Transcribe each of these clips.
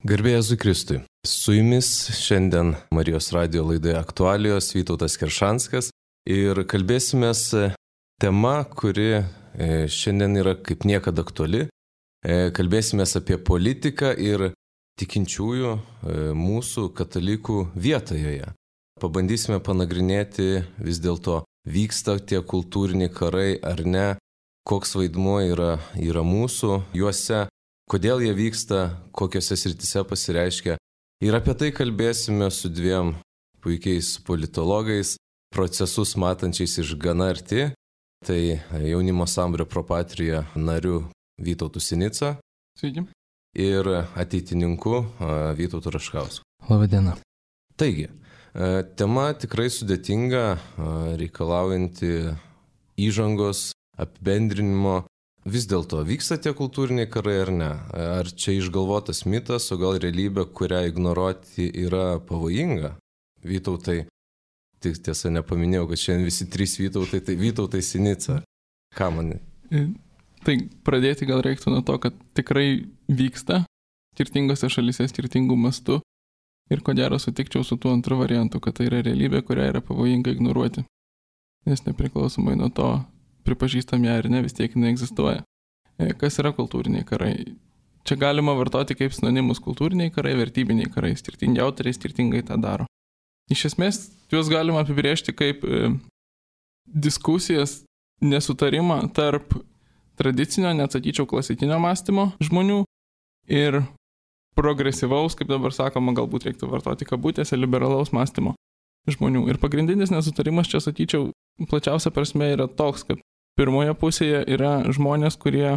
Garbė Jėzui Kristui. Su jumis šiandien Marijos radijo laidoje Aktualijos Vytautas Keršanskas ir kalbėsimės tema, kuri šiandien yra kaip niekada aktuali. Kalbėsimės apie politiką ir tikinčiųjų mūsų katalikų vietą joje. Pabandysime panagrinėti vis dėlto vyksta tie kultūriniai karai ar ne, koks vaidmuo yra mūsų juose. Kodėl jie vyksta, kokiose srityse pasireiškia. Ir apie tai kalbėsime su dviem puikiais politologais, procesus matančiais iš gana arti. Tai jaunimo sambūrio Pro Patria nariu Vytautu Sinica. Sveiki. Ir ateitininku Vytautu Raškausku. Labadiena. Taigi, tema tikrai sudėtinga, reikalaujanti įžangos, apibendrinimo. Vis dėlto, vyksta tie kultūriniai karai ar ne? Ar čia išgalvotas mitas, o gal realybė, kurią ignoruoti yra pavojinga? Vytautai, tik tiesa nepaminėjau, kad šiandien visi trys Vytautai, tai Vytautai Sinica. Ką manai? Tai pradėti gal reiktų nuo to, kad tikrai vyksta skirtingose šalyse, skirtingų mastų. Ir ko gero sutikčiau su tuo antru variantu, kad tai yra realybė, kurią yra pavojinga ignoruoti. Nes nepriklausomai nuo to, pripažįstam ją ar ne, vis tiek jinai egzistuoja. Kas yra kultūriniai karai? Čia galima vartoti kaip sinonimus kultūriniai karai, vertybiniai karai. Skirtingi autoriai skirtingai tą daro. Iš esmės, juos galima apibrėžti kaip diskusijas, nesutarimą tarp tradicinio, net sakyčiau, klasikinio mąstymo žmonių ir progresyvaus, kaip dabar sakoma, galbūt reiktų vartoti kabutėse, liberalaus mąstymo žmonių. Ir pagrindinis nesutarimas čia, sakyčiau, plačiausia prasme yra toks, kad pirmoje pusėje yra žmonės, kurie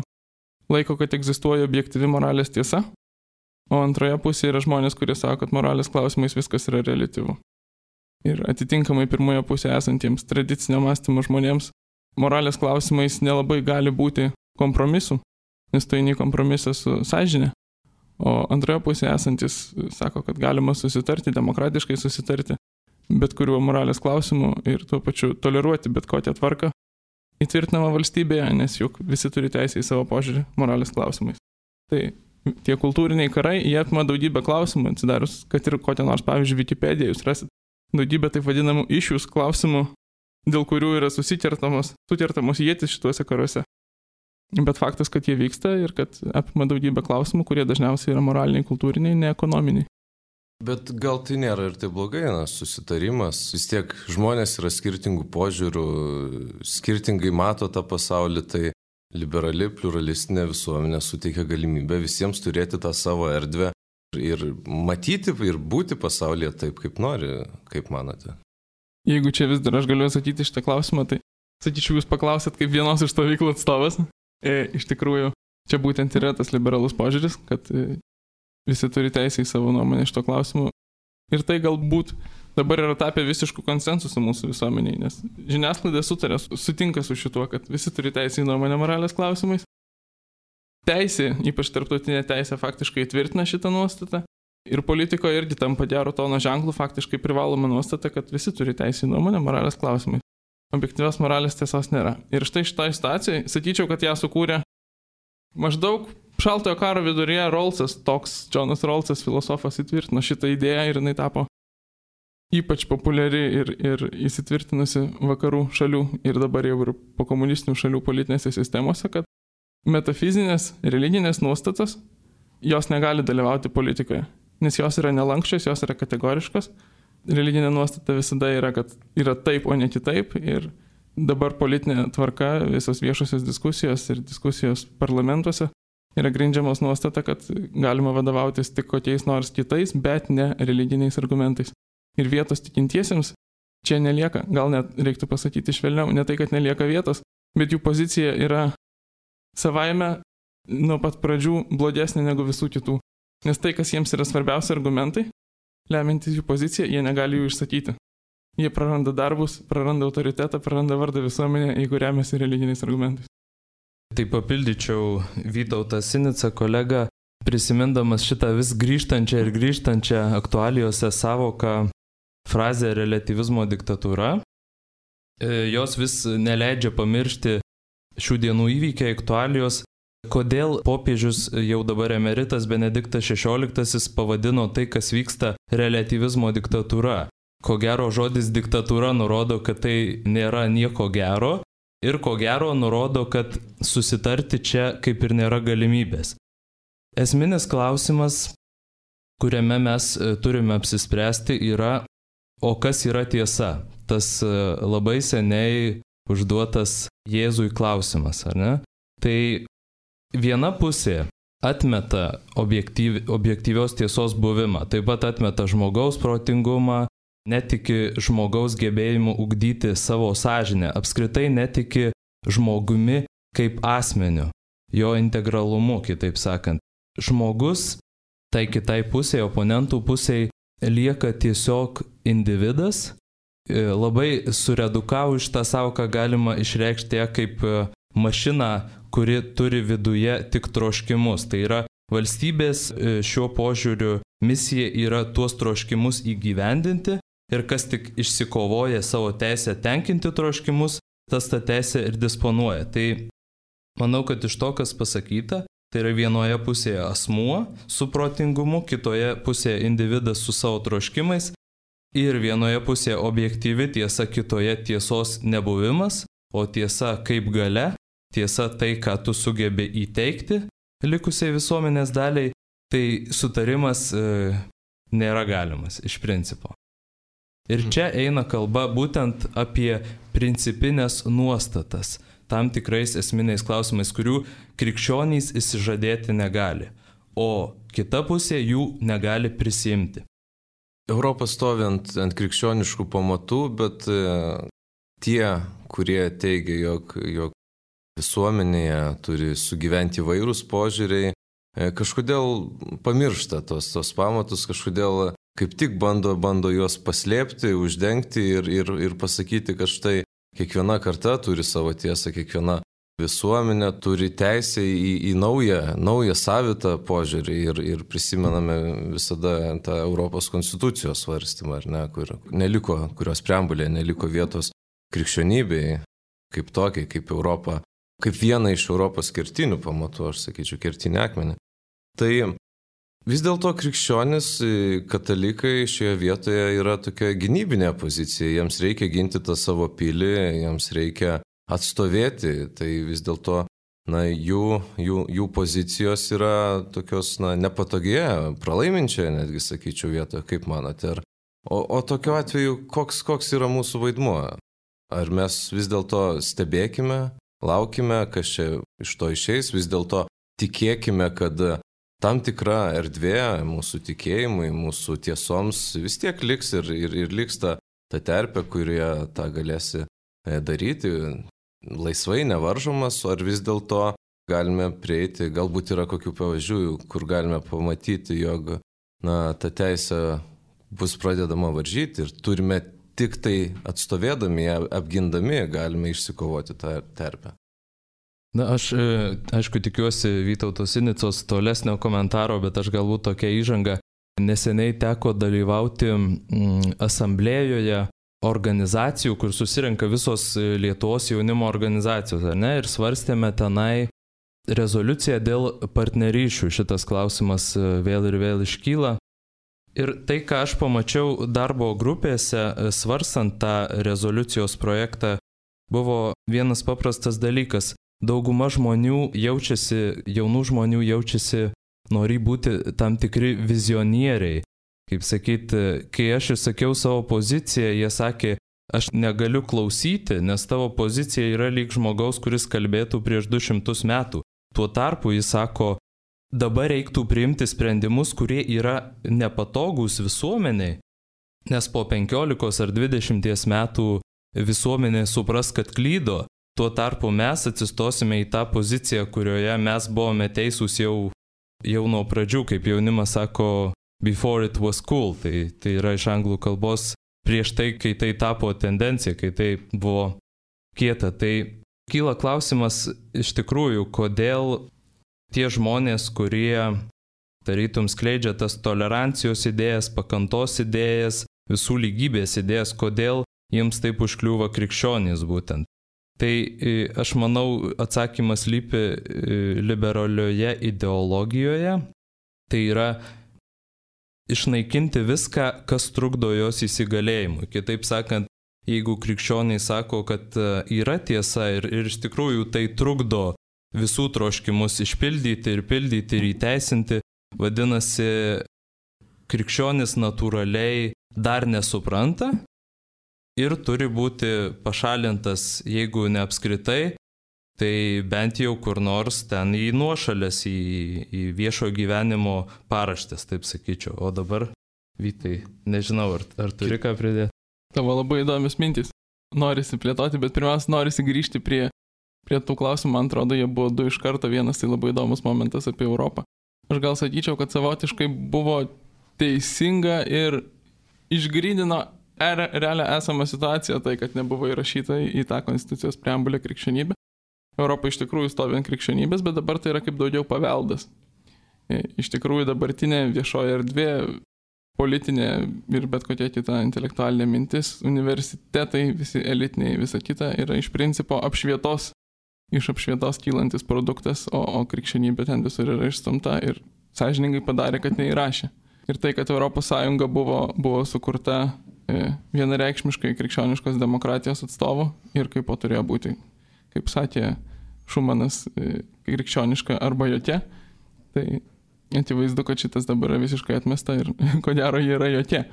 laiko, kad egzistuoja objektyvi moralės tiesa, o antroje pusėje yra žmonės, kurie sako, kad moralės klausimais viskas yra reliatyvu. Ir atitinkamai pirmoje pusėje esantiems tradicinio mąstymo žmonėms moralės klausimais nelabai gali būti kompromisų, nes tai nei kompromisas su sąžine, o antroje pusėje esantis sako, kad galima susitarti, demokratiškai susitarti bet kuriuo moralės klausimu ir tuo pačiu toleruoti bet kokią tvarką įtvirtinamą valstybėje, nes juk visi turi teisę į savo požiūrį moralės klausimais. Tai tie kultūriniai karai, jie apima daugybę klausimų, atsidarius, kad ir kokią nors, pavyzdžiui, Wikipediją, jūs rasit daugybę taip vadinamų issues klausimų, dėl kurių yra sukertamos ietis šituose karuose. Bet faktas, kad jie vyksta ir kad apima daugybę klausimų, kurie dažniausiai yra moraliniai, kultūriniai, ne ekonominiai. Bet gal tai nėra ir tai blogai, susitarimas. Vis tiek žmonės yra skirtingų požiūrių, skirtingai mato tą pasaulį, tai liberali, pluralistinė visuomenė suteikia galimybę visiems turėti tą savo erdvę ir matyti ir būti pasaulyje taip, kaip nori, kaip manote. Jeigu čia vis dar aš galiu atsakyti šitą klausimą, tai sakyčiau, jūs paklausėt kaip vienos iš stovyklų atstovas. Iš tikrųjų, čia būtent yra tas liberalus požiūris, kad visi turi teisę į savo nuomonę šito klausimu. Ir tai galbūt dabar yra tapę visiškų konsensusų mūsų visuomeniai, nes žiniasklaida sutinka su šituo, kad visi turi teisę į nuomonę moralės klausimais. Teisė, ypač tarptautinė teisė, faktiškai įtvirtina šitą nuostatą. Ir politikoje irgi tampa gero tono ženklų, faktiškai privaloma nuostata, kad visi turi teisę į nuomonę moralės klausimais. Objektyvios moralės tiesos nėra. Ir štai šitoj situacijai, sakyčiau, kad ją sukūrė maždaug šaltojo karo viduryje Džonas Rawlsas, filosofas, įtvirtino šitą idėją ir jinai tapo ypač populiari ir įsitvirtinusi vakarų šalių ir dabar jau ir po komunistinių šalių politinėse sistemose, kad metafizinės, religinės nuostatos, jos negali dalyvauti politikoje, nes jos yra nelankščios, jos yra kategoriškos. Religinė nuostata visada yra, kad yra taip, o ne kitaip ir dabar politinė tvarka, visos viešosios diskusijos ir diskusijos parlamentuose yra grindžiamos nuostata, kad galima vadovautis tik kokiais nors kitais, bet ne religiniais argumentais. Ir vietos tikintiesiems čia nelieka, gal net reiktų pasakyti švelniau, ne tai, kad nelieka vietos, bet jų pozicija yra savaime nuo pat pradžių blogesnė negu visų kitų. Nes tai, kas jiems yra svarbiausi argumentai, lemiantys jų poziciją, jie negali jų išsakyti. Jie praranda darbus, praranda autoritetą, praranda vardą visuomenę, jeigu remiasi religiniais argumentais. Tai papildyčiau Vytautą Sinicą, kolegą, prisimindamas šitą vis grįžtančią aktualijose savoką frazę reliatyvizmo diktatūra. Jos vis neleidžia pamiršti šių dienų įvykiai, aktualijos, kodėl popiežius jau dabar emeritas Benediktas XVI pavadino tai, kas vyksta, reliatyvizmo diktatūra. Ko gero žodis diktatūra nurodo, kad tai nėra nieko gero ir ko gero nurodo, kad susitarti čia kaip ir nėra galimybės. Esminis klausimas, kuriame mes turime apsispręsti, yra, o kas yra tiesa? Tas labai seniai užduotas Jėzui klausimas, ar ne? Tai viena pusė atmeta objektyvios tiesos buvimą, taip pat atmeta žmogaus protingumą, netiki žmogaus gebėjimu ugdyti savo sąžinę, apskritai netiki žmogumi kaip asmeniu, jo integralumu, kitaip sakant. Žmogus tai kitai pusėje, oponentų pusėje lieka tiesiog individas. Labai suredukavus šitą savoką galima išreikšti kaip mašiną, kuri turi viduje tik troškimus. Tai yra valstybės šiuo požiūriu misija yra tuos troškimus įgyvendinti ir kas tik išsikovoja savo teisę tenkinti troškimus, tas tą teisę ir disponuoja. Tai manau, kad iš to, kas pasakyta, tai yra vienoje pusėje asmuo su protingumu, kitoje pusėje individas su savo troškimais ir vienoje pusėje objektyvi tiesa, kitoje tiesos nebuvimas, o tiesa kaip galia, tiesa tai, ką tu sugebi įteikti likusiai visuomenės daliai, tai sutarimas nėra galimas iš principo. Ir čia eina kalba būtent apie principinės nuostatas, tam tikrais esminiais klausimais, kurių krikščionys išsižadėti negali, o kita pusė jų negali prisimti. Europa stovi ant krikščioniškų pamatų, bet tie, kurie teigia, jog visuomenėje turi sugyventi įvairūs požiūriai, kažkodėl pamiršta tos pamatus, kažkodėl kaip tik bando juos paslėpti, uždengti ir pasakyti, kad štai kiekviena karta turi savo tiesą, kiekviena visuomenė turi teisę į naują savitą požiūrį ir prisimename visada tą Europos konstitucijos svarstymą, ar ne, kurios preambulėje neliko vietos krikščionybei kaip tokiai, kaip Europa, kaip viena iš Europos kertinių pamatų, aš sakyčiau, kertinį akmenį. Tai vis dėlto krikščionis, katalikai šioje vietoje yra tokia gynybinė pozicija, jiems reikia ginti tą savo pilį, jiems reikia atstovėti, tai vis dėlto jų pozicijos yra tokios nepatogėje, pralaiminčioje, netgi sakyčiau, vietoje, kaip manote. O tokiu atveju, koks yra mūsų vaidmuo? Ar mes vis dėlto stebėkime, laukime, kas čia iš to išeis, vis dėlto tikėkime, kad tam tikra erdvė mūsų tikėjimui, mūsų tiesoms vis tiek liks ir liks ta terpė, kurioje tą galėsi daryti laisvai, nevaržomas, ar vis dėlto galime prieiti, galbūt yra kokių pavyzdžių, kur galime pamatyti, jog ta teisė bus pradedama varžyti ir turime tik tai atstovėdami, apgindami, galime išsikovoti tą terpę. Aš, aišku, tikiuosi Vytauto Sinicos tolesnio komentaro, bet aš galbūt tokia įžanga. Neseniai teko dalyvauti asamblėjoje organizacijų, kur susirenka visos Lietuvos jaunimo organizacijos, ne? Ir svarstėme tenai rezoliuciją dėl partnerysčių. Šitas klausimas vėl ir vėl iškyla. Ir tai, ką aš pamačiau darbo grupėse, svarstant tą rezoliucijos projektą, buvo vienas paprastas dalykas. Dauguma žmonių jaunų žmonių jaučiasi, nori būti tam tikri vizionieriai. Kaip sakyti, kai aš išsakiau savo poziciją, jie sakė, aš negaliu klausyti, nes tavo pozicija yra lyg žmogaus, kuris kalbėtų prieš 200 metų. Tuo tarpu jis sako, dabar reiktų priimti sprendimus, kurie yra nepatogūs visuomeniai, nes po 15 ar 20 metų visuomenė supras, kad klydo. Tuo tarpu mes atsistosime į tą poziciją, kurioje mes buvome teisūs jau nuo pradžių, kaip jaunimas sako, before it was cool, tai yra iš anglų kalbos prieš tai, kai tai tapo tendencija, kai tai buvo kieta. Tai kyla klausimas iš tikrųjų, kodėl tie žmonės, kurie tarytum skleidžia tas tolerancijos idėjas, pakantos idėjas, visų lygybės idėjas, kodėl jiems taip užkliūva krikščionys būtent. Tai aš manau, atsakymas lypi liberalioje ideologijoje. Tai yra išnaikinti viską, kas trukdo jos įsigalėjimui. Kitaip sakant, jeigu krikščioniai sako, kad yra tiesa ir iš tikrųjų tai trukdo visų troškimus išpildyti ir pildyti ir įteisinti, vadinasi, krikščionis natūraliai dar nesupranta ir turi būti pašalintas, jeigu ne apskritai, tai bent jau kur nors ten į nuošalės, į viešo gyvenimo paraštės, taip sakyčiau. O dabar, Vytai, nežinau, ar turi ką pridėti? Tavo labai įdomios mintys. Norisi plėtoti, bet pirmiausia, norisi grįžti prie tų klausimų. Man atrodo, jie buvo du iš karto. Vienas tai labai įdomus momentas apie Europą. Aš gal sakyčiau, kad savotiškai buvo teisinga ir išgrydino realią esamą situaciją, tai kad nebuvo įrašyta į tą konstitucijos preambulę krikščionybė. Europa iš tikrųjų stovi ant krikščionybės, bet dabar tai yra kaip daugiau paveldas. Iš tikrųjų dabartinė viešoji erdvė, politinė ir bet kokia kita intelektualinė mintis, universitetai, visi elitiniai, visa kita yra iš principo iš apšvietos kylantis produktas, o krikščionybė ten visur yra išstumta ir sąžiningai padarė, kad neįrašė. Ir tai, kad Europos Sąjunga buvo sukurta vienareikšmiškai krikščioniškos demokratijos atstovų ir kaip turėjo būti, kaip sakė Šumanas, krikščioniška arba jokia, tai akivaizdu, kad šitas dabar yra visiškai atmesta ir ko gero jie yra jokia.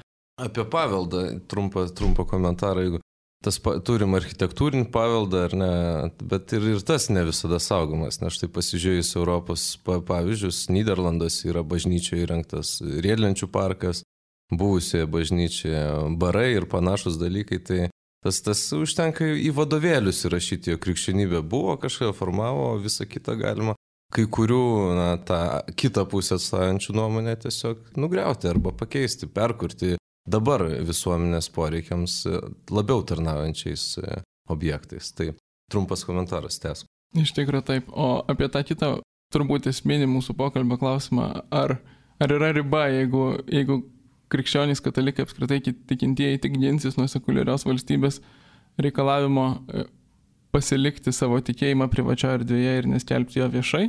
Apie paveldą trumpą komentarą, jeigu turim architektūrinį paveldą ar ne, bet ir tas ne visada saugomas, nes štai pasižiūrėjus Europos pavyzdžius, Nyderlanduose yra bažnyčioje įrengtas riedlenčių parkas, buvusioje bažnyčioje barai ir panašus dalykai, tai tas užtenka į vadovėlius įrašyti, jo krikščionybė buvo, kažką formavo, visą kitą galima kai kurių tą kitą pusę atstovaujančių nuomonę tiesiog nugriauti arba pakeisti, perkurti dabar visuomenės poreikiams labiau tarnaujančiais objektais. Tai trumpas komentaras, tęsk. Iš tikrųjų taip. O apie tą kitą turbūt esminį mūsų pokalbio klausimą, ar yra riba, jeigu krikščionys katalikai apskritai tikintieji tik ginsis nuo sekuliarios valstybės reikalavimo pasilikti savo tikėjimą privačioje erdvėje ir neskelbti jo viešai,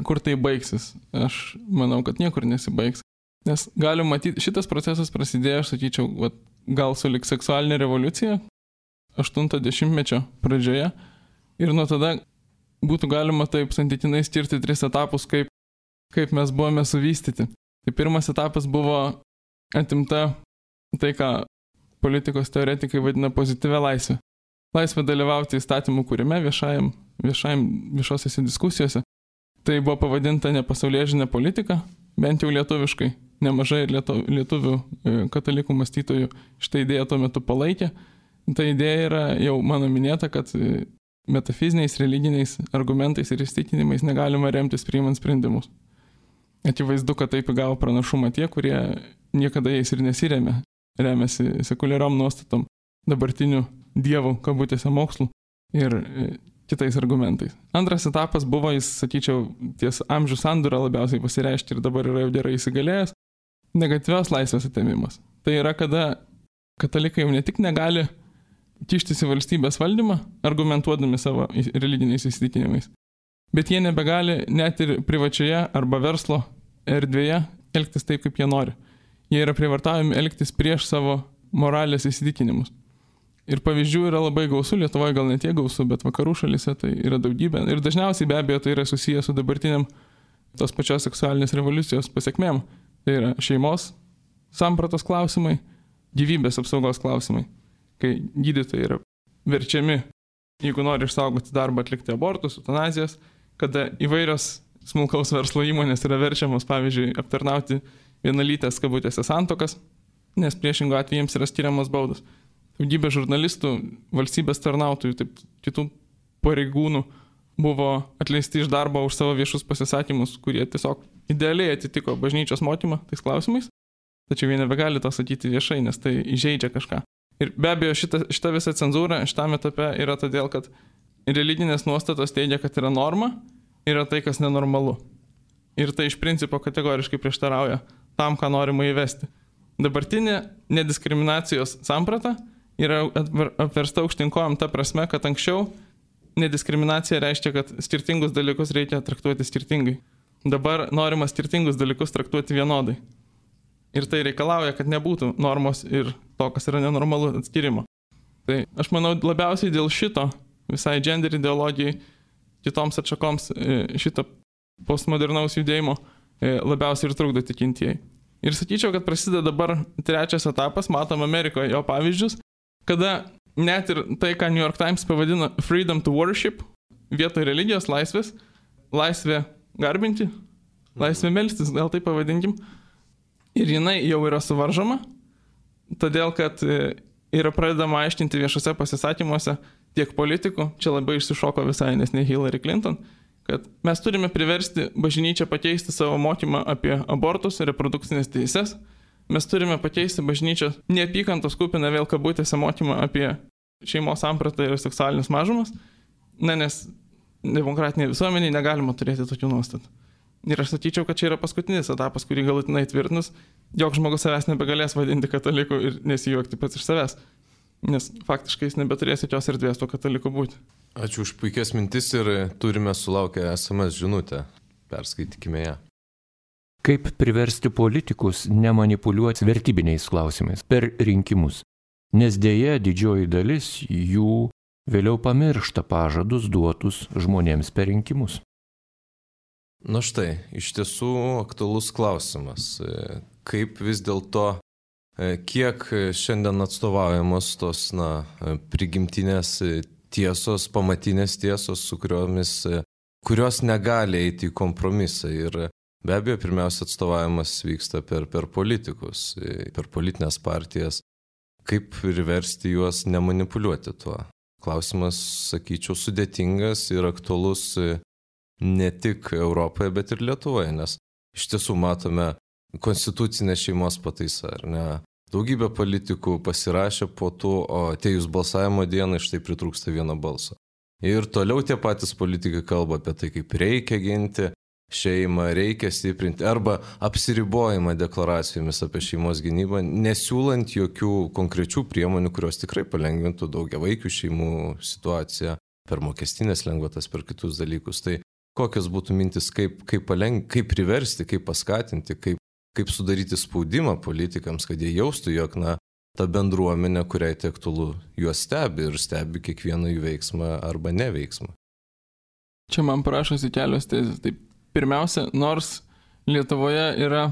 kur tai baigsis? Aš manau, kad niekur nesibaigs. Nes galim matyti, šitas procesas prasidėjo, aš sakyčiau, gal sulig seksualinė revoliucija 80-mečio pradžioje ir nuo tada būtų galima taip santykinai skirti 3 etapus, kaip mes buvome suvystyti. Tai pirmas etapas buvo atimta tai, ką politikos teoretikai vadina pozityvia laisvė. Laisvė dalyvauti įstatymų kūrime viešosiose diskusijose. Tai buvo pavadinta nepasaulėžinė politika, bent jau lietuviškai. Nemažai lietuvių katalikų mąstytojų šitą idėją tuo metu palaikė. Ta idėja yra jau mano minėta, kad metafiziniais, religiniais argumentais ir įsitikinimais negalima remtis priimant sprendimus. Akivaizdu, kad taip įgavo pranašumą tie, kurie niekada jais ir nesiremia, remiasi sekuliariom nuostatom, dabartinių dievų, kabutėse mokslų ir kitais argumentais. Antras etapas buvo, jis, sakyčiau, ties amžių sandūrą labiausiai pasireiškia ir dabar yra jau gerai įsigalėjęs, negatyvios laisvės atėmimas. Tai yra, kada katalikai jau ne tik negali kištis į valstybės valdymą, argumentuodami savo religiniais įsitikinimais, bet jie nebegali net ir privačioje arba verslo erdvėje elgtis taip, kaip jie nori. Jie yra prievartaujami elgtis prieš savo moralės įsitikinimus. Ir pavyzdžių yra labai gausu, Lietuvoje gal ne tiek gausu, bet vakarų šalyse tai yra daugybė. Ir dažniausiai be abejo tai yra susiję su dabartiniam tos pačios seksualinės revoliucijos pasiekmėm. Tai yra šeimos sampratos klausimai, gyvybės apsaugos klausimai. Kai gydytojai yra verčiami, jeigu nori išsaugoti darbą, atlikti abortus, eutanazijas, kada įvairios smulkaus verslo įmonės yra verčiamos, pavyzdžiui, aptarnauti vienalytės kabutėse santuokas, nes priešingų atveju jiems yra skiriamos baudos. Daugybė žurnalistų, valstybės tarnautojų, taip kitų pareigūnų buvo atleisti iš darbo už savo viešus pasisakymus, kurie tiesiog idealiai atitiko bažnyčios mokymą tais klausimais, tačiau jie nebegali to sakyti viešai, nes tai įžeidžia kažką. Ir be abejo šita visa cenzūra šitame etape yra todėl, kad religinės nuostatos teigia, kad yra norma, yra tai, kas nenormalu. Ir tai iš principo kategoriškai prieštarauja tam, ką norima įvesti. Dabartinė nediskriminacijos samprata yra apversta aukštinkojom ta prasme, kad anksčiau nediskriminacija reiškia, kad skirtingus dalykus reikia traktuoti skirtingai. Dabar norima skirtingus dalykus traktuoti vienodai. Ir tai reikalauja, kad nebūtų normos ir to, kas yra nenormalu, atskirimo. Tai aš manau, labiausiai dėl šito, visai gender ideologijai, kitoms atšakoms šito postmodernaus judėjimo labiausiai ir trukdo tikintieji. Ir sakyčiau, kad prasideda dabar trečias etapas, matom Amerikoje jo pavyzdžius, kada net ir tai, ką New York Times pavadino freedom to worship, vietoj religijos laisvės, laisvė garbinti, laisvė melstis, gal tai pavadinkim, ir jinai jau yra suvaržoma, todėl kad yra pradedama aiškinti viešose pasisakymuose tiek politikų, čia labai išsišoko visai nesnei Hillary Clinton, kad mes turime priversti bažnyčią pakeisti savo mokymą apie abortus ir reprodukcinės teises, mes turime pakeisti bažnyčią neapykantos kupiną vėl kabutėse mokymą apie šeimos sampratą ir seksualinius mažumas, nes demokratinėje visuomenėje negalima turėti tokių nuostatų. Ir aš sakyčiau, kad čia yra paskutinis etapas, kurį galutinai tvirtinus, jog žmogus savęs nebegalės vadinti kataliku ir nesijuokti pats iš savęs. Nes faktiškai jis nebeturės jokios erdvės to kataliku būti. Ačiū už puikias mintis ir turime sulaukę SMS žinutę. Perskaitykime ją. Kaip priversti politikus nemanipuliuoti vertybiniais klausimais per rinkimus? Nes dėja didžioji dalis jų vėliau pamiršta pažadus duotus žmonėms per rinkimus. Na štai, iš tiesų aktualus klausimas. Kaip vis dėlto, kiek šiandien atstovaujamos tos prigimtinės tiesos, pamatinės tiesos, su kurios negali eiti į kompromisą. Ir be abejo, pirmiausia, atstovavimas vyksta per politikus, per politinės partijas. Kaip priversti juos nemanipuliuoti tuo? Klausimas, sakyčiau, sudėtingas ir aktualus ne tik Europoje, bet ir Lietuvoje, nes iš tiesų matome konstitucinę šeimos pataisą, ar ne? Daugybė politikų pasirašė po to, o atėjus balsavimo dieną štai pritrūksta vieno balso. Ir toliau tie patys politikai kalba apie tai, kaip reikia ginti šeimą, reikia stiprinti, arba apsiribojimą deklaracijomis apie šeimos gynybą, nesiūlant jokių konkrečių priemonių, kurios tikrai palengvintų daugiavaikių šeimų situaciją, per mokestinės lengvatas, per kitus dalykus. Tai kokios būtų mintis, kaip priversti, kaip paskatinti, kaip sudaryti spaudimą politikams, kad jie jaustų, jog ta bendruomenė, kuriai tai aktualu, juos stebi ir stebi kiekvieną jų veiksmą arba neveiksmą. Čia man prašosi kelios tezės. Tai pirmiausia, nors Lietuvoje yra,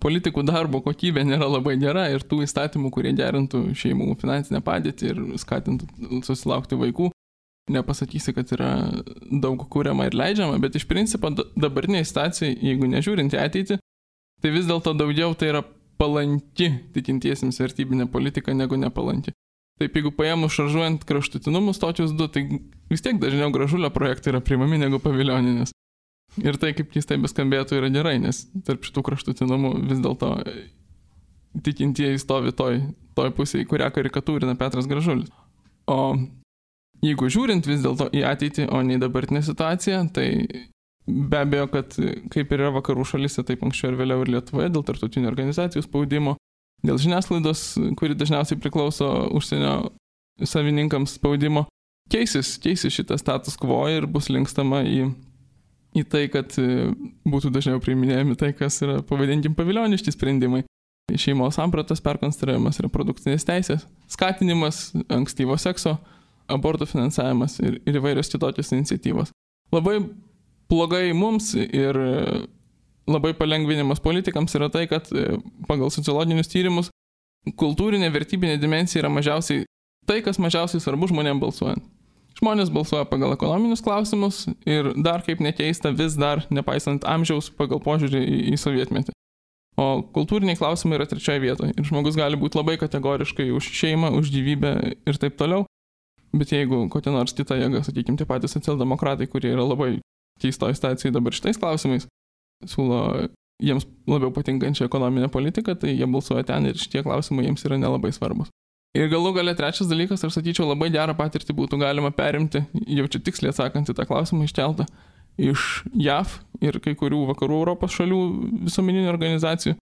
politikų darbo kokybė nėra labai gera ir tų įstatymų, kurie gerintų šeimų finansinę padėtį ir skatintų susilaukti vaikų, nepasakysi, kad yra daug kuriama ir leidžiama, bet iš principo dabartiniai situacijai, jeigu nežiūrint į ateitį, tai vis dėlto daugiau tai yra palanki tikintiesiems vertybinė politika negu nepalanki. Taip, jeigu paėmus šaržuojant kraštutinumus tokius du, tai vis tiek dažniau Gražulio projektai yra priimami negu Pavilioninės. Ir tai, kaip keistai beskambėtų, yra gerai, nes tarp šitų kraštutinumų vis dėlto tikintieji stovi toj pusėje, kurią karikatūrina Petras Gražulis. O jeigu žiūrint vis dėlto į ateitį, o ne į dabartinę situaciją, tai be abejo, kad kaip ir yra vakarų šalyse, taip anksčiau ir vėliau ir Lietuvoje, dėl tarptautinių organizacijų spaudimo, dėl žiniasklaidos, kuri dažniausiai priklauso užsienio savininkams spaudimo, keisis šitas status quo ir bus linkstama į tai, kad būtų dažniau priiminėjami tai, kas yra, pavadinkim, pavilioniški sprendimai. Šeimos sampratos perkonstruojamas, reprodukcinės teisės, skatinimas ankstyvo sekso, abortų finansavimas ir įvairios kitokios iniciatyvos. Labai blogai mums ir labai palengvinimas politikams yra tai, kad pagal sociologinius tyrimus kultūrinė vertybinė dimensija yra mažiausiai tai, kas mažiausiai svarbu žmonėms balsuojant. Žmonės balsuoja pagal ekonominius klausimus ir dar kaip nekeista vis dar, nepaisant amžiaus, pagal požiūrį į sovietmetį. O kultūriniai klausimai yra trečioje vietoje ir žmogus gali būti labai kategoriškai už šeimą, už gyvybę ir taip toliau. Bet jeigu kokia nors kita jėga, sakykime, tie patys socialdemokratai, kurie yra labai keistoj situacijai dabar šitais klausimais, siūlo jiems labiau patinkančią ekonominę politiką, tai jie balsuoja ten ir šitie klausimai jiems yra nelabai svarbus. Ir galų gale trečias dalykas, aš sakyčiau, labai gerą patirtį būtų galima perimti, jau čia tiksliai atsakant į tą klausimą iškeltą, iš JAV ir kai kurių vakarų Europos šalių visuomeninių organizacijų.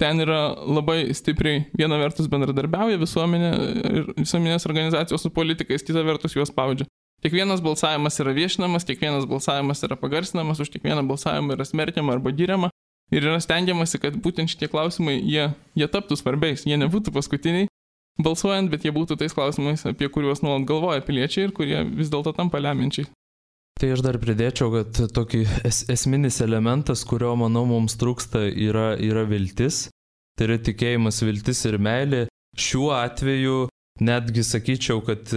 Ten yra labai stipriai, viena vertus bendradarbiauja visuomenė ir visuomenės organizacijos su politikais, kita vertus juos spaudžia. kiekvienas balsavimas yra viešinamas, kiekvienas balsavimas yra pagarsinamas, už kiekvieną balsavimą yra smerkiama arba giriama. Ir yra stengiamasi, kad būtent šitie klausimai, jie taptų svarbiais, jie nebūtų paskutiniai balsuojant, bet jie būtų tais klausimais, apie kuriuos nuolat galvoja piliečiai ir kurie vis dėlto tampa lemiančiai. Tai aš dar pridėčiau, kad tokį esminis elementas, kurio, manau, mums trūksta, yra viltis. Tai yra tikėjimas, viltis ir meilė. Šiuo atveju netgi sakyčiau, kad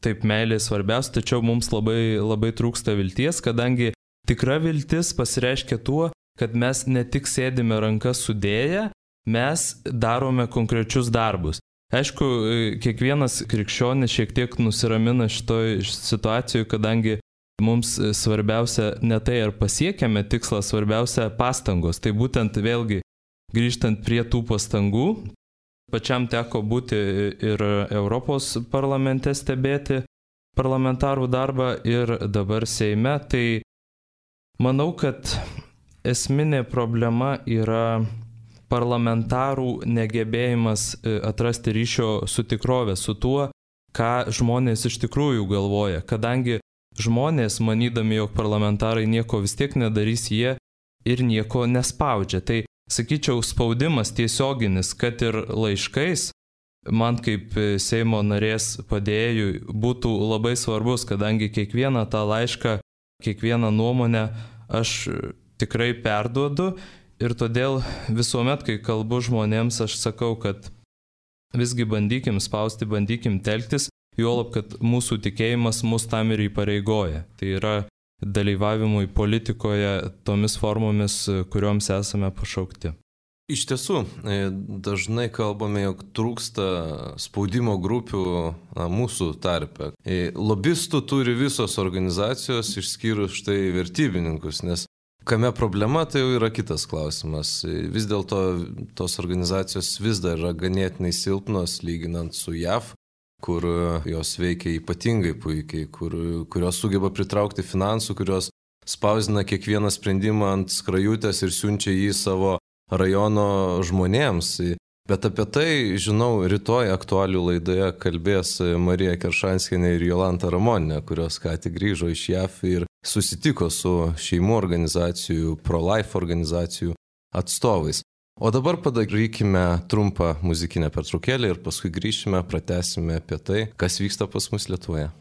taip meilė svarbiausia, tačiau mums labai trūksta vilties, kadangi tikra viltis pasireiškia tuo, kad mes ne tik sėdime rankas sudėję, mes darome konkrečius darbus. Aišku, kiekvienas krikščionis šiek tiek nusiramina šitoj situacijoje, kadangi mums svarbiausia ne tai, ar pasiekėme tikslą, svarbiausia pastangos. Tai būtent vėlgi grįžtant prie tų pastangų, pačiam teko būti ir Europos parlamente stebėti parlamentarų darbą ir dabar Seime. Tai manau, kad esminė problema yra parlamentarų negebėjimas atrasti ryšio su tikrove, su tuo, ką žmonės iš tikrųjų galvoja. Kadangi žmonės, manydami, jog parlamentarai nieko vis tiek nedarys, jie ir nieko nespaudžia. Tai, sakyčiau, spaudimas tiesioginis, kad ir laiškais, man kaip Seimo narės padėjėjui būtų labai svarbus, kadangi kiekvieną tą laišką, kiekvieną nuomonę aš tikrai perduodu ir todėl visuomet, kai kalbu žmonėms, aš sakau, kad visgi bandykim spausti, bandykim telktis, juolab, kad mūsų tikėjimas mus tam ir įpareigoja. Tai yra dalyvavimui politikoje tomis formomis, kurioms esame pašaukti. Iš tiesų, dažnai kalbame, jog trūksta spaudimo grupių mūsų tarpe. Lobistų turi visos organizacijos, išskyrus štai vertybininkus, nes kame problema, tai jau yra kitas klausimas. Vis dėlto tos organizacijos vis dar yra ganėtinai silpnos, lyginant su JAV, kur jos veikia ypatingai puikiai, kurios sugeba pritraukti finansų, kurios spausdina kiekvieną sprendimą ant skrajutės ir siunčia jį savo rajono žmonėms. Bet apie tai, žinau, rytoj aktualių laidoje kalbės Marija Keršanskienė ir Jolanta Ramoninė, kurios ką tik grįžo iš JAV ir susitiko su šeimų organizacijų, pro-life organizacijų atstovais. O dabar padarykime trumpą muzikinę pertraukėlę ir paskui grįšime, pratęsime apie tai, kas vyksta pas mus Lietuvoje.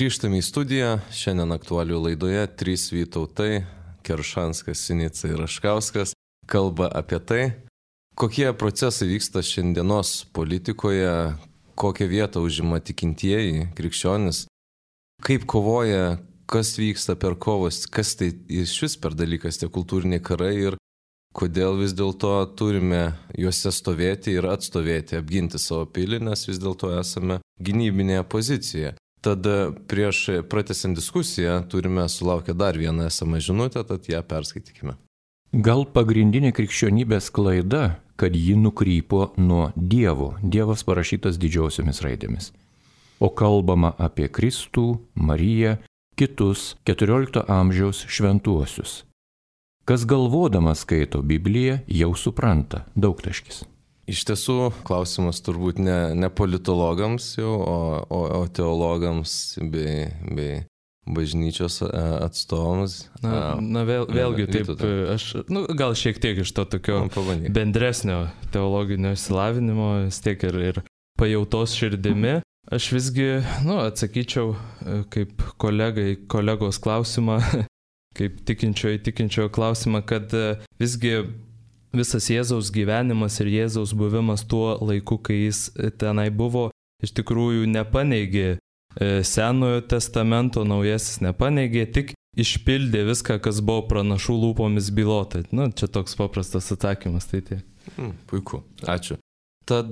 Grįžtame į studiją. Šiandien aktualių laidoje 3 Vytautai - Keršanskas, Sinica ir Raškauskas - kalba apie tai, kokie procesai vyksta šiandienos politikoje, kokią vietą užima tikintieji, krikščionis, kaip kovoja, kas vyksta per kovas, kas tai iš vis per dalykas tie kultūriniai karai ir kodėl vis dėlto turime juose stovėti ir atstovėti, apginti savo pilį, nes vis dėlto esame gynybinėje pozicijoje. Tad prieš pratęsiant diskusiją turime sulaukę dar vieną esamą žinutę, tad ją perskaitykime. Gal pagrindinė krikščionybės klaida, kad ji nukrypo nuo Dievo. Dievas parašytas didžiosiomis raidėmis. O kalbama apie Kristų, Mariją, kitus 14 amžiaus šventuosius. Kas galvodamas skaito Bibliją, jau supranta. Daugtaškis. Iš tiesų, klausimas turbūt ne politologams jau, o teologams bei bažnyčios atstovams. Vėlgi taip, aš gal šiek tiek iš to tokio bendresnio teologinio išsilavinimo, vis tiek ir pajautos širdimi. Aš visgi, atsakyčiau kaip kolegos klausimą, kaip tikinčiojo klausimą, kad visgi visas Jėzaus gyvenimas ir Jėzaus buvimas tuo laiku, kai jis tenai buvo, iš tikrųjų nepaneigė Senojo testamento, Naujasis nepaneigė, tik išpildė viską, kas buvo pranašų lūpomis bylota. Čia toks paprastas atsakymas, tai tiek. Puiku, ačiū. Tad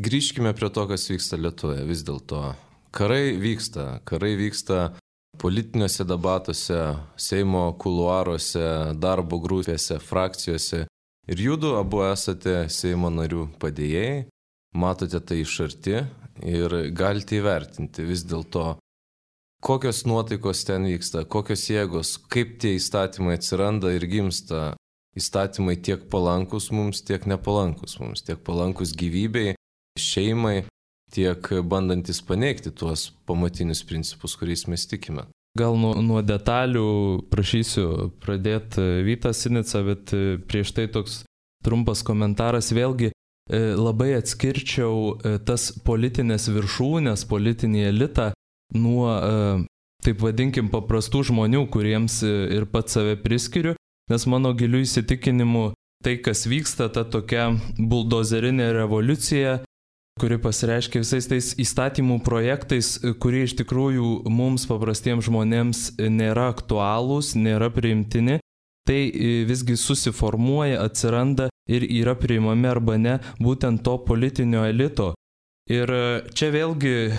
grįžkime prie to, kas vyksta Lietuvoje. Vis dėlto karai vyksta politiniuose debatuose, Seimo kuluaruose, darbo grupėse, frakcijose. Ir judu abu esate Seimo narių padėjėjai, matote tai iš arti ir galite įvertinti vis dėlto, kokios nuotaikos ten vyksta, kokios jėgos, kaip tie įstatymai atsiranda ir gimsta. Įstatymai tiek palankus mums, tiek nepalankus mums, tiek palankus gyvybei, šeimai, tiek bandantis paneigti tuos pamatinius principus, kuriais mes tikime. Gal nuo detalių prašysiu pradėti Vytą Sinicą, bet prieš tai toks trumpas komentaras. Vėlgi labai atskirčiau tas politinės viršūnės, politinį elitą nuo, taip vadinkim, paprastų žmonių, kuriems ir pats save priskiriu, nes mano giliu įsitikinimu tai, kas vyksta, ta tokia buldozerinė revoliucija, kuri pasireiškia visais tais įstatymų projektais, kurie iš tikrųjų mums paprastiems žmonėms nėra aktualūs, nėra priimtini, tai visgi susiformuoja, atsiranda ir yra priimami arba ne būtent to politinio elito. Ir čia vėlgi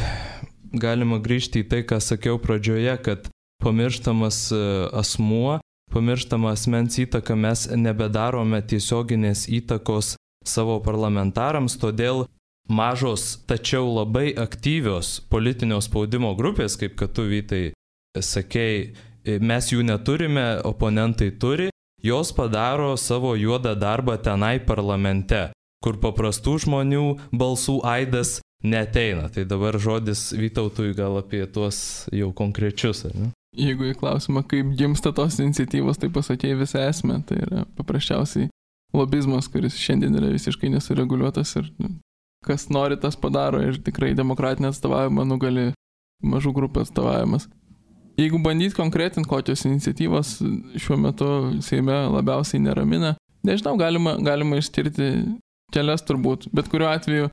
galima grįžti į tai, ką sakiau pradžioje, kad pamirštamas asmuo, pamirštama asmens įtaka, mes nebedarome tiesioginės įtakos savo parlamentarams, todėl mažos, tačiau labai aktyvios politinio spaudimo grupės, kaip kad tu, Vytai, sakei, mes jų neturime, oponentai turi, jos padaro savo juodą darbą tenai parlamente, kur paprastų žmonių balsų aidas neteina. Tai dabar žodis Vytautui gal apie tuos jau konkrečius, ar ne? Jeigu į klausimą, kaip gimsta tos iniciatyvos, tai pasakėjai visą esmę. Tai yra paprasčiausiai lobizmas, kuris šiandien yra visiškai nesureguliuotas ir kas nori, tas padaro ir tikrai demokratinė atstovavimą nugali mažų grupų atstovavimas. Jeigu bandyti konkretinti, kokios iniciatyvos šiuo metu Seime labiausiai neramina, nežinau, galima išskirti kelias turbūt, bet kuriuo atveju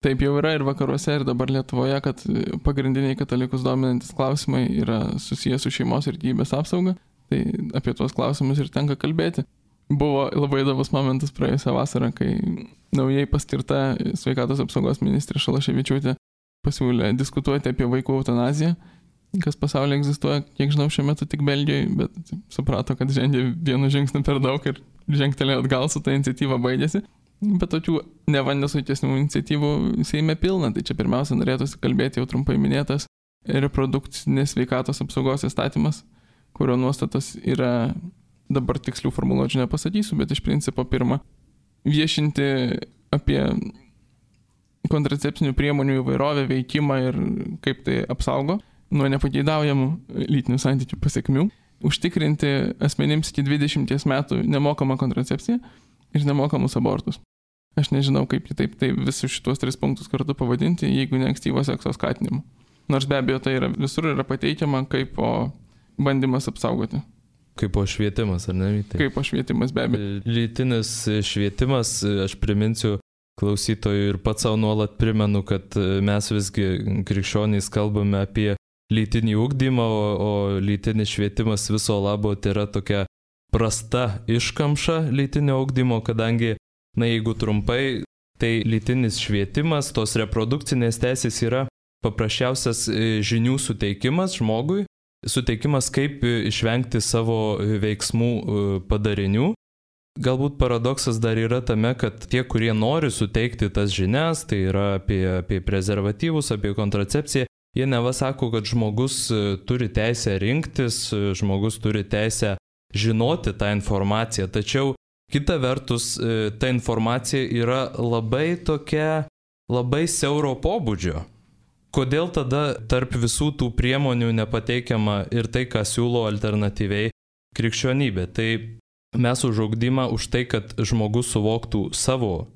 taip jau yra ir vakaruose, ir dabar Lietuvoje, kad pagrindiniai katalikus dominantis klausimai yra susijęs su šeimos ir gyvybės apsauga, tai apie tuos klausimus ir tenka kalbėti. Buvo labai įdomus momentas praėjusią vasarą, kai naujai paskirta sveikatos apsaugos ministrė Šalaševičiūtė pasiūlė diskutuoti apie vaikų eutanaziją, kas pasaulyje egzistuoja, kiek žinau, šiuo metu tik Belgijoje, bet suprato, kad žengė vienu žingsniu per daug ir žengtelėjo atgal su ta iniciatyva baigėsi. Bet tokių nevandesuitesnių iniciatyvų Seime pilna, tai čia pirmiausia norėtųsi kalbėti jau trumpai minėtas reprodukcinės sveikatos apsaugos įstatymas, kurio nuostatas yra, dabar tikslių formuluočių nepasakysiu, bet iš principo pirma, viešinti apie kontracepcinių priemonių įvairovę, veikimą ir kaip tai apsaugo nuo nepageidaujamų lytinių santykių pasekmių, užtikrinti asmenims iki 20 metų nemokamą kontracepciją ir nemokamus abortus. Aš nežinau, kaip kitaip tai visus šitos 3 punktus kartu pavadinti, jeigu ne ankstyvo sekso skatinimu. Nors be abejo tai yra, visur yra pateikiama kaip bandymas apsaugoti. Kaip švietimas, ar ne? Kaip švietimas, be abejo. Lytinis švietimas, aš priminsiu klausytojų ir pats savo nuolat primenu, kad mes visgi krikščionys kalbame apie lytinį ugdymą, o lytinis švietimas viso labo tai yra tokia prasta iškamša lytinio ugdymo, kadangi, jeigu trumpai, tai lytinis švietimas, tos reprodukcinės teisės yra paprasčiausias žinių suteikimas žmogui, suteikimas kaip išvengti savo veiksmų padarinių. Galbūt paradoksas dar yra tame, kad tie, kurie nori suteikti tas žinias, tai yra apie prezervatyvus, apie kontracepciją, jie neva sako, kad žmogus turi teisę rinktis, žmogus turi teisę žinoti tą informaciją, tačiau kita vertus ta informacija yra labai siauro pobūdžio. Kodėl tada tarp visų tų priemonių nepateikiama ir tai, ką siūlo alternatyviai krikščionybė? Tai mes už ugdymą, už tai, kad žmogus suvoktų savo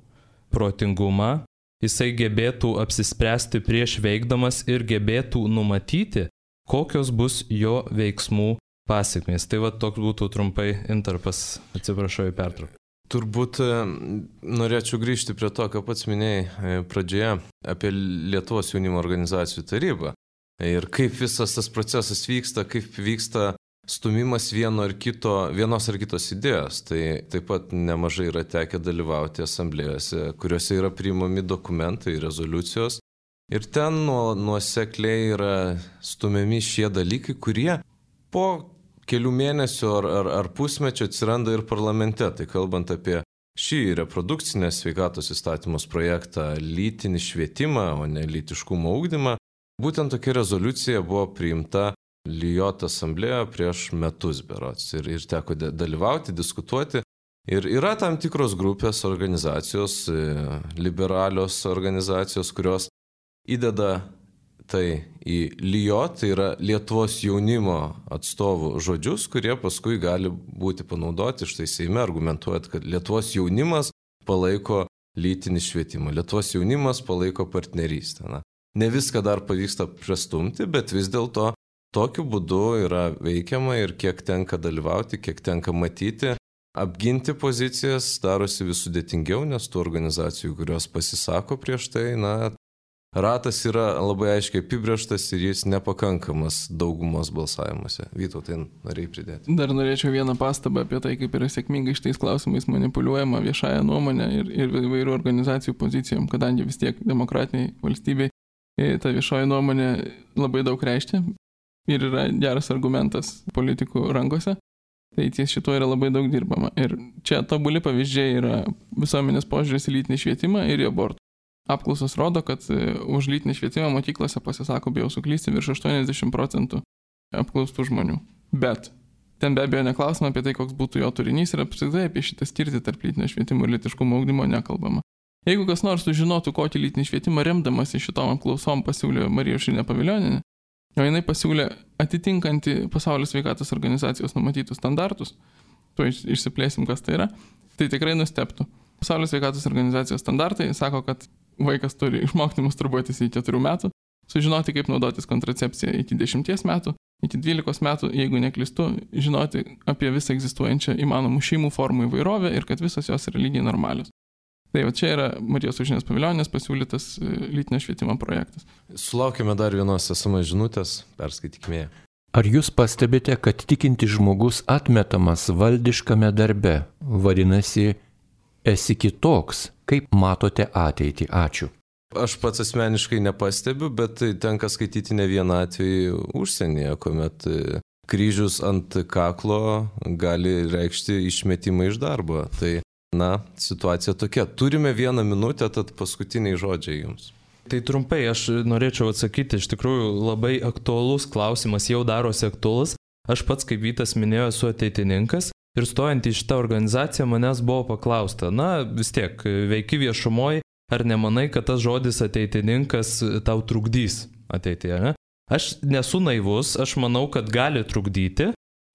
protingumą, jisai gebėtų apsispręsti prieš veikdamas ir gebėtų numatyti, kokios bus jo veiksmų pasekmės. Tai toks būtų trumpai intarpas, atsiprašau į pertrauką. Turbūt norėčiau grįžti prie to, ką pats minėjai pradžioje apie Lietuvos jaunimo organizacijų tarybą. Ir kaip visas tas procesas vyksta, kaip vyksta stumimas vienos ar kitos idėjos. Tai taip pat nemažai yra tekę dalyvauti asamblėjose, kuriuose yra priimami dokumentai, rezoliucijos. Ir ten nuosekliai yra stumiami šie dalykai, kurie po kelių mėnesių ar pusmečio atsiranda ir parlamente. Tai kalbant apie šį reprodukcinės sveikatos įstatymus projektą, lytinį švietimą, o ne lytiškumo ugdymą, būtent tokia rezoliucija buvo priimta Lijot asamblėje prieš metus berods. Ir teko dalyvauti, diskutuoti. Ir yra tam tikros grupės, organizacijos, liberalios organizacijos, kurios įdeda tai į Lijot, tai yra Lietuvos jaunimo atstovų žodžius, kurie paskui gali būti panaudoti štai Seime, argumentuojant, kad Lietuvos jaunimas palaiko lytinį švietimą, Lietuvos jaunimas palaiko partnerystę. Ne viską dar pavyksta prastumti, bet vis dėlto tokiu būdu yra veikiama ir kiek tenka dalyvauti, kiek tenka matyti, apginti pozicijas darosi vis sudėtingiau, nes tų organizacijų, kurios pasisako prieš tai, ratas yra labai aiškiai apibrėžtas ir jis nepakankamas daugumos balsavimuose. Vytautai, norėjai pridėti. Dar norėčiau vieną pastabą apie tai, kaip yra sėkmingai šitais klausimais manipuliuojama viešąją nuomonę ir įvairių organizacijų pozicijom, kadangi vis tiek demokratiniai valstybei ta viešoji nuomonė labai daug reiškia ir yra geras argumentas politikų rankose. Tai ties šito yra labai daug dirbama. Ir čia tobuli pavyzdžiai yra visuomenės požiūris į lytinį švietimą ir į abortų. Apklausos rodo, kad už lytinį švietimą mokyklose pasisako, bijau suklysti, virš 80% apklaustų žmonių. Bet ten be abejo neklausoma apie tai, koks būtų jo turinys ir apskritai apie šitą skirtį tarp lytinio švietimo ir lytiškumo ugdymo nekalbama. Jeigu kas nors sužinotų, kokį lytinį švietimą remdamasi šitom apklausom pasiūlė Marija Aušrinė Pavilionienė, o jinai pasiūlė atitinkantį Pasaulio sveikatos organizacijos numatytus standartus, tuo išsiplėsim, kas tai yra, tai tikrai nustebtų. Pasaulio sveikatos organizacijos standartai sako, kad vaikas turi išmokti masturbuotis iki 4 metų, sužinoti, kaip naudotis kontracepciją iki 10 metų, iki 12 metų, jeigu neklystu, žinoti apie visą egzistuojančią įmanomų šeimų formų įvairovę ir kad visos jos yra lygiai normalios. Tai va čia yra Marijos Aušrinės Pavilionienės pasiūlytas lytinio švietimo projektas. Sulaukėme dar vienos SMS žinutės, perskaitykime. Ar jūs pastebite, kad tikintis žmogus atmetamas valdiškame darbe? Vadinasi, esi kitoks. Kaip matote ateitį? Ačiū. Aš pats asmeniškai nepastebiu, bet tenka skaityti ne vieną atvejį užsienyje, kuomet kryžius ant kaklo gali reikšti išmetimą iš darbo. Tai, situacija tokia. Turime 1 minutę, tad paskutiniai žodžiai jums. Tai trumpai aš norėčiau atsakyti, iš tikrųjų labai aktualus klausimas, jau darosi aktualus. Aš pats, kaip Vytas minėjo, esu ateitininkas. Ir stojant į šitą organizaciją manęs buvo paklausta, vis tiek, veiki viešumoje, ar nemanai, kad tas žodis ateitininkas tau trukdys ateityje, ne? Aš nesu naivus, aš manau, kad gali trukdyti,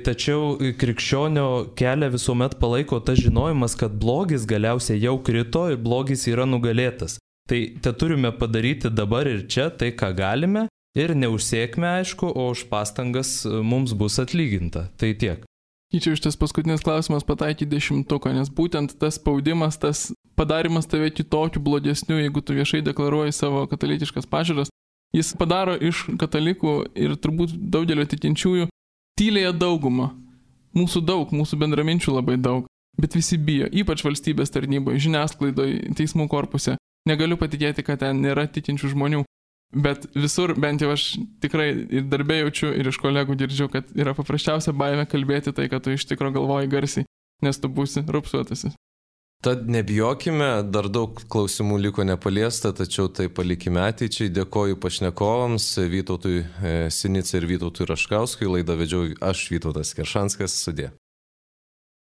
tačiau krikščionio kelią visuomet palaiko tas žinojimas, kad blogis galiausiai jau krito ir blogis yra nugalėtas. Tai turime padaryti dabar ir čia tai, ką galime, Ir ne už sėkmę, aišku, o už pastangas mums bus atlyginta. Tai tiek. Čia iš tas paskutinis klausimas pataikė 10, nes būtent tas spaudimas, tas padarimas tave kitokiu, blogesniu, jeigu tu viešai deklaruoji savo katalikiškas pažiūras, jis padaro iš katalikų ir turbūt daugelio tikinčiųjų tylėje daugumą. Mūsų bendraminčių labai daug, bet visi bijo, ypač valstybės tarnyboje, žiniasklaidoje, teismų korpuse. Negaliu patikėti, kad ten nėra tikinčių žmonių. Bet visur, bent jau aš tikrai ir darbė jaučiu, ir iš kolegų girdžiu, kad yra paprasčiausia baimė kalbėti tai, kad tu iš tikro galvoji garsiai, nes tu būsi rupsuotasis. Tad nebijokime, dar daug klausimų liko nepaliesta, tačiau tai palikime ateičiai. Dėkoju pašnekovams, Vytautui Sinicai ir Vytautui Raškauskui. Laidą vedžiau aš, Vytautas Keršanskas. Sudie.